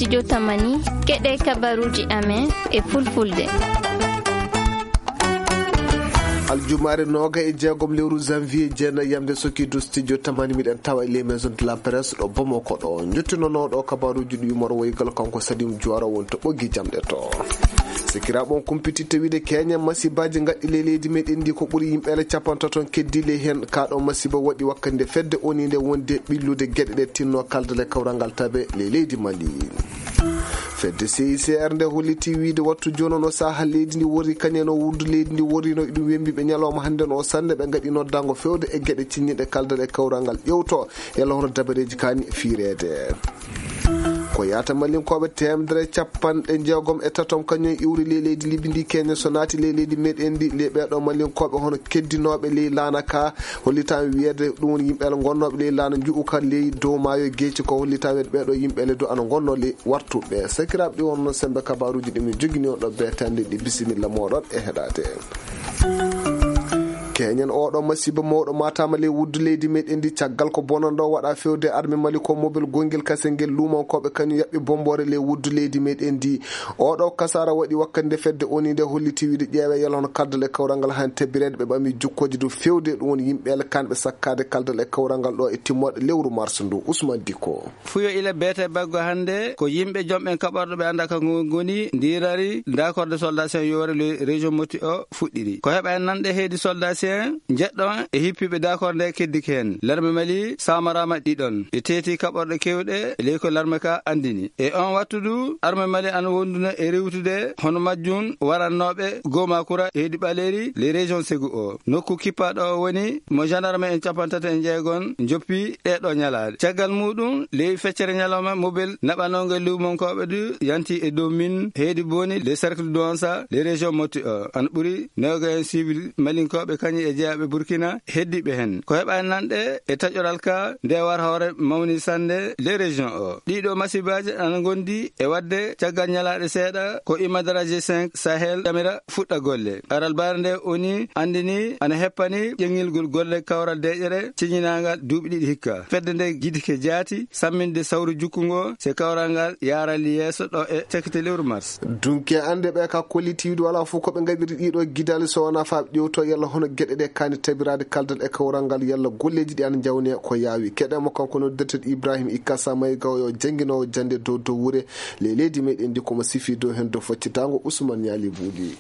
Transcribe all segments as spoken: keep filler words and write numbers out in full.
Studio Tamani, keɗe kabaruji amen e fulfulde. Aljumaare nooga e jeegom lewru janvier, jeenayi yamde sokiidu studio Tamani, miɗen tawa e les maisons de la presse ɗo Bamako ɗo. Njottinonoɗo kabaruji ɗi moro woygal kanko Salim Juwara won to ɓoggi jamɗe to. Sikiraaɓe on kumpititte wiide keñe masibaji gaɗɗi le leydi meɗen ndi ko ɓuri yimɓe ele capantato on keddi le hen. Ka ɗo masiba waɗi wakkande fedde oninde wonde ɓillude geɗe ɗe tinno kaldal e kawral ngal tabe le leydi Mali. Fedde C I C R nde holliti wiide wattu jooni no saha leydi ndi worri kañum en o wuddu leydi ndi worrino iɗum wembiɓe ñalawma hannde no o sannde ɓe ngaɗi noddango fewde e geɗe cinñiɗe kaldal e kawral ngal ƴewto yalla hono dabareji kani fiireede. Ko yaata malinkooɓe teemedere capanɗe jeegom e tatom kañum iwri ley leydi Libi ndi keñe so naati ley leydi meɗen ndi le ɓeeɗo malinkooɓe hono keddinooɓe ley laana ka hollitan wiyeede ɗum woni yimɓe ele gonnooɓe ley laana nju'u ka ley dow maayo geeci ko hollitan wiyeede ɓeeɗo yimɓe ele dow ana gonnoo ley wartuɓe sakiraaɓe ɗi wonno sembe kabaruji ɗi min jogini on ɗo beetande ɗi bisimilla moɗon e heɗade. Keñen oɗo masiba mawɗo matama ley wuddu leydi meɗen ndi caggal ko bonanɗo waɗa fewde arme mali ko mobel gongel kasel ngel lumankoɓe kañum yaɓɓi bombore ley wuddu leydi meɗen ndi. Oɗo kasara waɗi wakkande fedde oni nde holliti wiide ƴeewe yalla hono kaldal e kawral ngal han tebireede ɓe ɓami jukkoji dow fewde ɗum woni yimɓe ele kanɓe sakkade kaldal e kawral ngal ɗo e timmoɗe lewru mars ndu. Ousmane Diko. Fuyo ila beete baggo hannde ko yimɓe jomɓen kaɓorɗo ɓe annda ka ngo ngoni ndirari dakorde soldatien yore le région moti o fuɗɗiri ko heɓa en nanɗe heydi soldatien jeɗɗo e hippiɓe dakorde nde keddiki hen larme mali samarama ɗiɗon ɓe teeti kaɓorɗe kewɗe ley ko larme ka andini e on wattudu arme mali an wonduna e rewtude hono majjum warannooɓe gomakura heydi ɓaleri le région segu o nokku kippaɗo o woni mo gendarme en capantati e jeegon joppi ɗeɗo ñalaade caggal muɗum ley feccere ñalawma mobel naɓanongo lewmonkoɓe du yanti e dow min heydi boni le cercle duansa le région motti o an ɓuri newgo en civil malinkoɓe kañum e jeyaɓe burkina heddiɓe hen ko heɓani nanɗe e taƴoral ka nde war hoore mawni sannde le région o ɗiɗo masibaji ana gondi e wadde caggal ñalaɗe seeɗa ko imadaraji cinq sahel amira fuɗɗa golle aral bare nde oni andini ana heppani ƴeŋŋilgol golle kawral deƴere ciñinagal duuɓi ɗiɗi hikka fedde nde gidike jaati samminde sawru jukkungo se kawral ngal yarali yeeso ɗo e cakite lewru mars dunke ande ɓe ka kollitiiɗo wala fof ko ɓe ngaɗiri ɗiɗo gidali so wona faaɓe ƴewto yalla hono geɗe ɗe kani tabirade kaldal e kawral ngal yalla golleji ɗi ana jawne ko yaawi keɗemo kanko noddirteɗo ibrahim ikkasa maygaw yo jangguinowo jande dow dow wuure ley leydi meɗen ndi komo sifi dow hen dow faccitango ousmane ñaali buuɗi.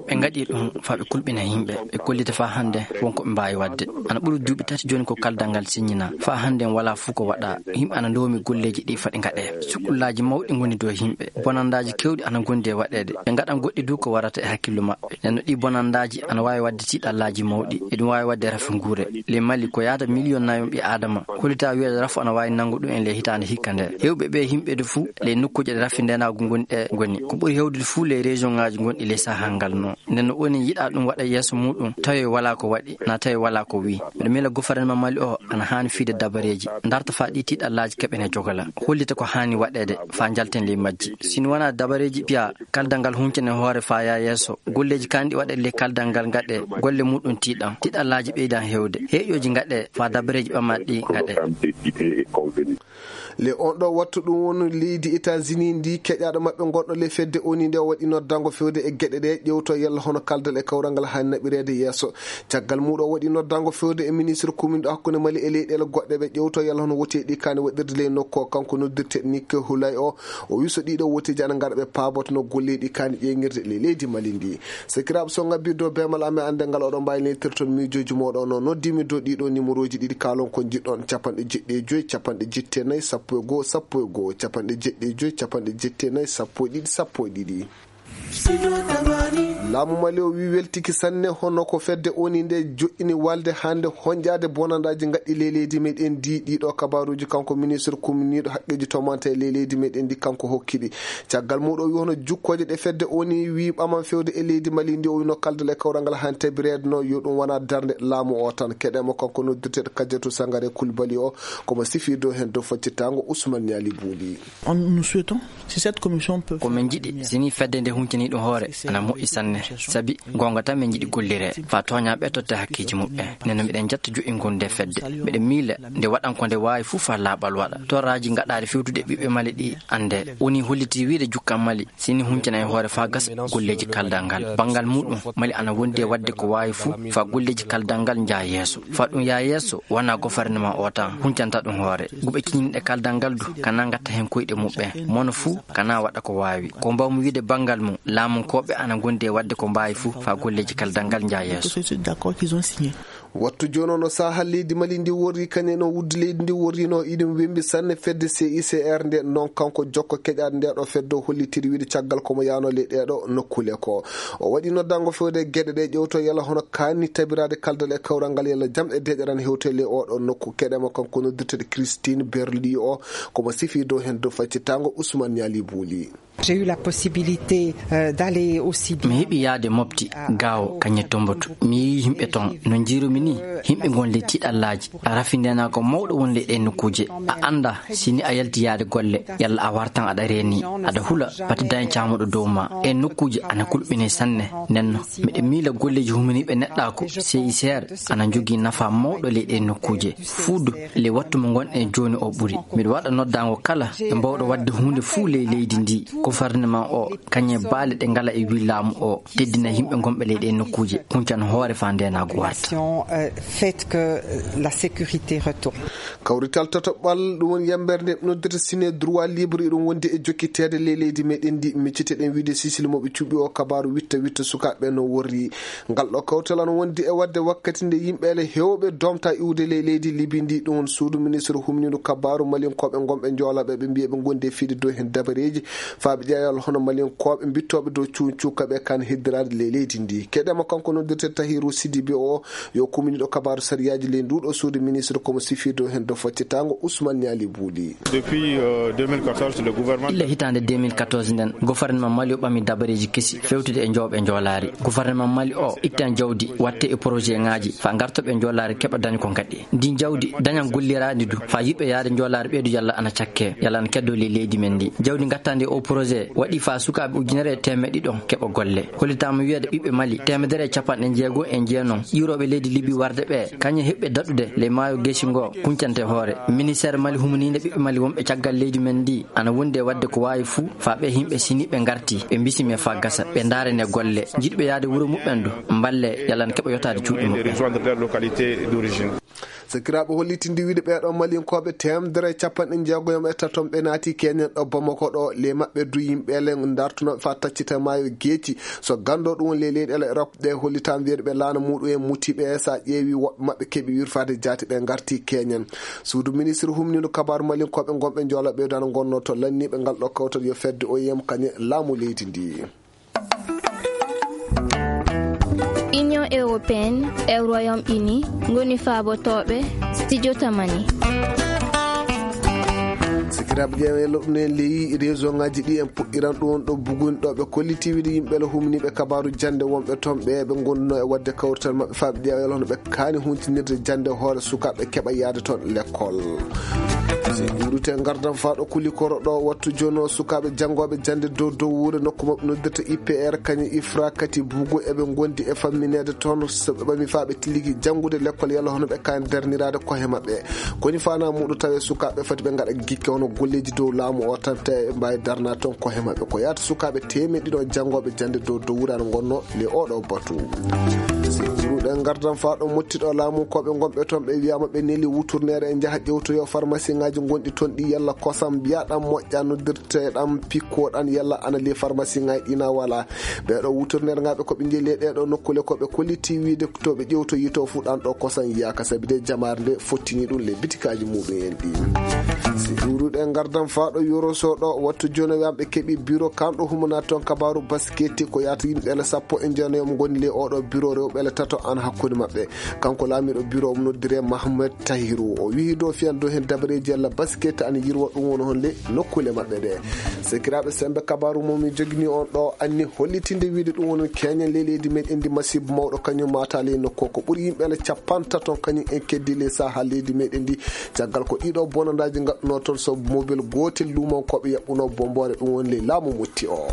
Ɓe ngaɗi ɗum faa ɓe kulɓina yimɓe, ɓe kollita faa hannde won ko ɓe mbaawi waɗde. Ana ɓuri duuɓi tati jooni ko kaldal ngal siññinaa. Faa hannde en walaa fuu ko waɗaa. Yimɓe ana ndoomi golleeji ɗi foti ngaɗee. Sukullaaji mawɗi ngoni dow yimɓe. Bonandaaji keewɗi ana ngondi e waɗeede. Ɓe ngaɗan goɗɗi du ko warata e hakkillu maɓɓe. Nden no ɗii bonandaaji ana waawi waɗde tiiɗallaaji mawɗi. Eɗum waawi waɗde rafi nguure. Ley Mali ko yaata miliyon nayo ɓii Aadama. Hollitaa wiyeede rafu ana waawi nanngu ɗum en ley hitaande hikka nde. Heewɓe ɓee yimɓe de fuu ley nokkuuje ɗe rafi ndeenaagu ngoni ɗe ngoni. Ko ɓuri heewdude fuu ley région ŋaaji gonɗi ley sahal ngal no. Nden no onin yiɗaa ɗum waɗa yeeso muuɗum tawi walaa ko waɗi, na tawi walaa ko wii. Miɗo miila gofarnema Mali o ana haani fiyde dabareeji, ndarta faa ɗii tiiɗallaaji keɓen e jogola. Hollita ko haani waɗeede faa njalten ley majji. Si no wanaa dabareeji piya, kaldal ngal huncen e hoore faa yaa yeeso. Golleeji kaanɗi waɗeede ley kaldal ngal ngaɗee, golle muuɗum tiiɗan. Tiiɗallaaji ɓeydan heewde. Heeƴooji ngaɗee faa dabareeji ɓamaaɗi ɗi ngaɗee. Le on ɗo wattu ɗum woni leydi États-Unis ndi keƴaɗo maɓɓe gonɗo le fedde oni nde o waɗi noddango fewde e geɗe ɗe ƴewto yalla hono kaldal e kawral ngal hani naɓireede yeeso. Caggal muɗo o waɗi noddango fewde e ministre commune ɗo hakkunde Mali e leyɗeele goɗɗe ɓe ƴewto yalla hono woteɗi kani waɗirde ley nokku o kanko noddirte Nick Hulay o. O wi so ɗiɗo woteji ana ngara ɓe paaboto no golleɗi kani ƴeŋirde ley leydi Mali ndi. Sakiraaɓe so ngabbirde o beemal amen annde ngal oɗon mbaawi neentirton miijooji mooɗon o noddimi dow ɗiɗo nimorooji ɗiɗi kaalon ko njiɗɗon capanɗe jeɗɗi e joyi capanɗe jetti e nayi sappo e goo sappo e goo capanɗe jeɗɗi e joyi capanɗe jetti e nayi sappo e ɗiɗi sappo e ɗiɗi. Laamu Mali o wi weltiki sanne hono ko fedde oni nde joɗɗini walde hannde honƴaade bonandaaji ngaɗɗi ley leydi meɗen ndi ɗiɗo kabaruuji kanko ministre kumniiɗo haqqeeji tomante e ley leydi meɗen ndi kanko hokkiɗi. Caggal muɗo o wi hono jukkooje ɗe fedde oni wi ɓaman fewde e leydi Mali ndi o wino kaldal e kawral ngal han tabireede no yo ɗum wona darnde laamu o tan keɗemo kanko noddirteɗo Kadiatou Sangaré Coulibaly o komo sifi dow hen dow faccitango Ousmane Niali Bouli. On, nous souhaitons, si cette commission peut ko min jiɗi sini fedde nde huncini Ni ɗum hoore ana moƴƴi sanne, sabi goonga tan min njiɗi gollire, faa tooñaaɓe totta hakkeeji muɓɓen. Nden no miɗen jetta jo'ingol nde fedde. Miɗen miila nde waɗan ko nde waawi fuu faa laaɓal waɗa. Torraaji ngaɗaaɗi fewtude e ɓiɓɓe Mali ɗi annde. Woni holliti wiide jukkan Mali, si ni huncana e hoore faa gasa golleeji kaldal ngal. Banngal muuɗum, Mali ana wondi e waɗde ko waawi fuu faa golleeji kaldal ngal njaha yeeso. Faa ɗum yaha yeeso, wanaa gofarnema o tan huncanta ɗum hoore. Guɓe kiñinɗe kaldal ngal du, kana ngatta heen koyɗe muɓɓen. Mono fuu, kana waɗa ko waawi. Ko mbaawmi wiide banngal mum, laamunkooɓe ana ngondi e waɗde ko mbaawi fuu faa golleeji kaldal ngal njaha yeeso. Wattu jooni o no saha leydi Mali ndi worri, kañum no wuddu leydi ndi worri no iɗum wembi sanne fedde C I C R nde. Noon kanko jokko keƴaade nde ɗo fedde o hollitiri wiide caggal ko mo yaano ley ɗee ɗo nokkuule ko. O waɗi noddango fewde geɗe ɗe ƴewto yala hono kaani tabiraade kaldal e kawral ngal yala jam e deeƴaran hewte ley oo ɗo nokku. Keɗe mo kanko noddirteɗo Christine Berli o, ko mo sifi dow heen dow faccitango Ousmane Niali Bouli. J'ai eu la possibilité, euh, d'aller aussi mi heɓi yaade mofti gaawo kañe tomboto. Mi yii yimɓe toon no njiirumi ni, yimɓe ngon ley tiɗallaaji. Rafindenaako mawɗo won ley ɗeen nokkuuje. A annda si ni a yalti yaade golle, yalla a wartan aɗa reeni, aɗa hula pati dañe caamuɗo dow ma. Ɗeen nokkuuje ana kulɓinay sanne. Nden no miɗo miila golleeji huminiiɓe neɗɗaaku, C I C R, ana njogii nafaa mawɗo ley ɗeen nokkuuje. Fuu du ley wattu mo ngonɗen jooni o ɓuri. Miɗo waɗa noddaango kala ɓe mbaawɗo waɗde huunde fuu ley leydi ndi. Gofarneman o, kañe baale ɗe ngala e wii laamu o, teddina yimɓe ngonɓe ley ɗee nokkuuje, huncan hoore faa ndeenaagu warta. Fait que, euh, la sécurité retourne. Kawrital tataɓal, ɗum woni yambere nde noddirta sine droit libre, iɗum wondi e jokkiteede ley leydi meɗen ndi. Micciteɗen wiide sisil mo ɓe cuɓi o kabaaru witta witta sukaaɓe no worri. Ngal ɗo kawtal ana wondi e waɗde wakkati nde yimɓe ele heewɓe domta iwde ley leydi Libi ndi. Ɗum woni suudu ministre humnindu kabaaru malinkooɓe ngonɓe njoolaɓe ɓe mbiya ɓe ngondi e fiide dow heen dabareeji faaɓe ƴeewal hono malinkooɓe mbittooɓe dow cuun cukkaɓe kan heddiraade ley leydi ndi. Keɗema kanko noddirte Tahiru Sidibe o, yo kuminiɗo kabaaru sariyaaji ley nduɗo suudu ministre komo sifi dow heen dow faccitango Ousmane Niali Bouli. Depuis, euh, deux mille quatorze, le gouvernement illa hitaande deux mille quatorze nden, gouvernement Mali o ɓami dabareeji kesi fewtude e njooɓe njoolaari. Gouvernement Mali o ittan jawdi, watte e projet ŋaaji, faa ngartoɓe njoolaari keɓa dañi ko ngaɗi. Ndin jawdi dañan golliraandi du, faa yiɓɓe yaade njoolaari ɓeydu yalla ana cakke, yalla ana keddo ley leydi men ndi. Jawdi ngattaandi o projet waɗi faa sukaaɓe ujunere e teemeɗɗe ɗiɗon keɓa golle. Hollitaama wiyeede ɓiɓɓe Mali teemedere e capanɗe jeego e jeenon ƴiwrooɓe leydi Libi warde ɓe, kañe heɓɓe daɗude ley maayo Geeci ngo kuncante hoore. Ministeer Mali humniinde ɓiɓɓe Mali wonɓe caggal leydi men ndi ana wondi e waɗde ko waawi fuu faa ɓe yimɓe sini ɓe ngarti, ɓe mbisime faa gasa, ɓe ndaarane golle. Jiɗɓe yaade wuro muɓɓen du, mballe yalla na keɓa yotaade cuuɗi muɓɓen. Rejoindre leur localité d'origine. Sakiraaɓe hollitindi wiide ɓeeɗo malinkooɓe teemedere e capanɗe jeegoyom e taton ɓe naati Kenya ɗo Bamako ɗo, ley maɓɓe du yimɓe ele dartunooɓe faa taccita maayo Geeci. So ganndo ɗum woni ley leyɗeele Europe ɗe hollitaan wiyeede ɓe laana muuɗum en mutiiɓe, so a ƴeewi woɓɓe maɓɓe keɓi wirfaade jaati ɓe ngarti Kenya. Suudu ministre humniiɗo kabaaru malinkooɓe ngonɓe njoolaɓe ɓeydaano ngonnoo to lanniiɓe ngal ɗo kawtal yo fedde O I M kañe laamu leydi ndi. Union européenne e Royaume-Uni ngoni faabotooɓe studio Tamani. Sikiraaɓe ƴeewe loɗɗuno en ley réseau ŋaaji ɗi en puɗɗiran ɗum won ɗo buguni ɗo ɓe kolliti wiide yimɓe le humniiɓe kabaaru jannde wonɓe toon ɓe ɓe ngonduno e waɗde kawrital maɓɓe faaɓe ƴeewal hono ɓe kaani huntinirde jannde hoore sukaaɓe keɓa yaade toon lekkol. Si ɓurute ngardan faa ɗo kuli koro ɗo wattu jono sukaaɓe janngooɓe jannde dow dow wuure nokku maɓɓe noddirta I P R kañum ifra kati bugo eɓe ngondi e fammineede toon so ɓe ɓami faa ɓe tiligi janngude lekkol yalla hono ɓe kaani darniraade kohe maɓɓe. Koni faana muuɗo tawe sukaaɓe fati ɓe ngaɗa gikke hono golleeji dow laamu o tan tawi ɓe mbaawi darna toon kohe maɓɓe. Ko yaata sukaaɓe teemeɗɗe ɗiɗo janngooɓe jannde dow dow wuure ana ngonno le oɗo batu. Si ɗuɗen ngardan faa ɗo mottiɗo laamu ko ɓe ngonɓe toon ɓe wiyaama ɓe neli wuturneere e njaha ƴewtoyo farmasiŋaaji ngonɗi toon ɗi yalla kosam mbiyaɗan moƴƴa noddirteɗan pikkoɗan yalla ana le farmasiŋaaji ɗina wala. Ɓeeɗo wuturneerŋaaɓe ko ɓe njeyi ley ɗeeɗo nokkuule ko ɓe kolliti wiide to ɓe ƴewtoyi to fuu ɗan ɗo kosan yiyaaka sabi de jamaare nde fottini ɗum ley bitikaaji muɗum en ɗi. Si ɗuuruɗe ngardan faa ɗo yoroso ɗo wattu jono yamɓe keɓi biro kanɗo humana toon kabaaru basketi ko yaata yimɓe ele sappo e jeenayo mo ngoni ley oɗo biro rewɓe ele tato an hakkunde maɓɓe. Kanko laamiiɗo biro omo noddire Mahamed Tahiru. O wihi dow fiyan dow heen dabareeji yalla basketi ana yirwa ɗum woni hon ley nokkuule maɓɓe ɗe. Sekiraaɓe sembe kabaaru mo mi jogini on ɗo anni hollitinde wiide ɗum woni keñen ley leydi meɗen ndi masiibo mawɗo kañum mata ley nokku ko ɓuri yimɓe ele capantato kañum en keddi ley saha leydi meɗen ndi caggal ko ɗiɗo bonandaaji ngaɗuno toon so mobil gootel luumankooɓe yaɓɓuno bomboore ɗum woni ley laamu motti o.